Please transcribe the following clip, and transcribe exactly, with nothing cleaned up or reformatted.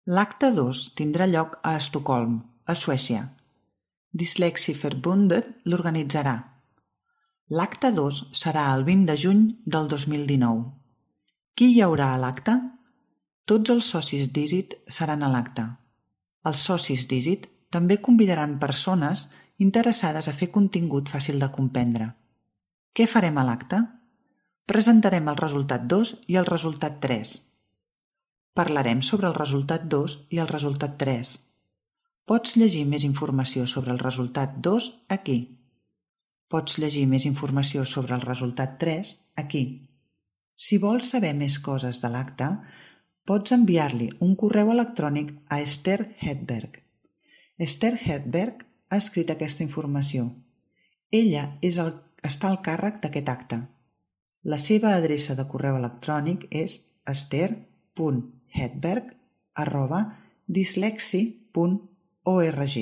L'acte dos tindrà lloc a Estocolm, a Suècia. Dyslexieförbundet l'organitzarà. L'acte dos serà el vint de juny del dos mil dinou. Qui hi haurà a l'acte? Tots els socis d'ISIT seran a l'acte. Els socis d'ISIT també convidaran persones interessades a fer contingut fàcil de comprendre. Què farem a l'acte? Presentarem el resultat dos i el resultat tres. Parlarem sobre el resultat dos i el resultat tres. Pots llegir més informació sobre el resultat dos aquí. Pots llegir més informació sobre el resultat tres aquí. Si vols saber més coses de l'acte, pots enviar-li un correu electrònic a Esther Hedberg. Esther Hedberg ha escrit aquesta informació. Ella és el, està al càrrec d'aquest acte. La seva adreça de correu electrònic és esther punt hedberg arroba dyslexie punt org.